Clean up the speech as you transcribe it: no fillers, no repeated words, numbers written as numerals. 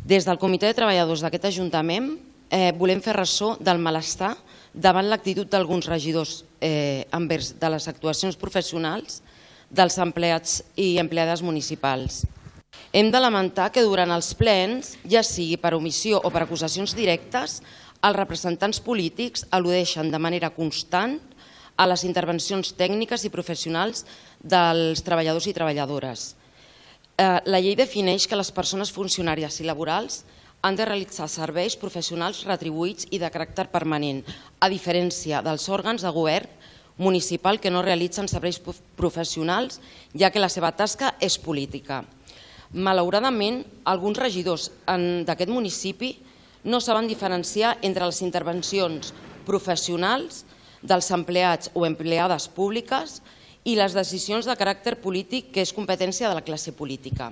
Des del Comitè de Treballadors d'aquest Ajuntament volem fer ressò del malestar davant l'actitud d'alguns regidors envers de les actuacions professionals dels empleats i empleades municipals. Hem de lamentar que durant els plens, ja sigui per omissió o per acusacions directes, els representants polítics al·ludeixen de manera constant a les intervencions tècniques i professionals dels treballadors i treballadores. La llei defineix que les persones funcionàries i laborals han de realitzar serveis professionals retribuïts i de caràcter permanent, a diferència dels òrgans de govern municipal que no realitzen serveis professionals, ja que la seva tasca és política. Malauradament, alguns regidors d'aquest municipi no saben diferenciar entre les intervencions professionals dels empleats o empleades públiques i les decisions de caràcter polític, que és competència de la classe política.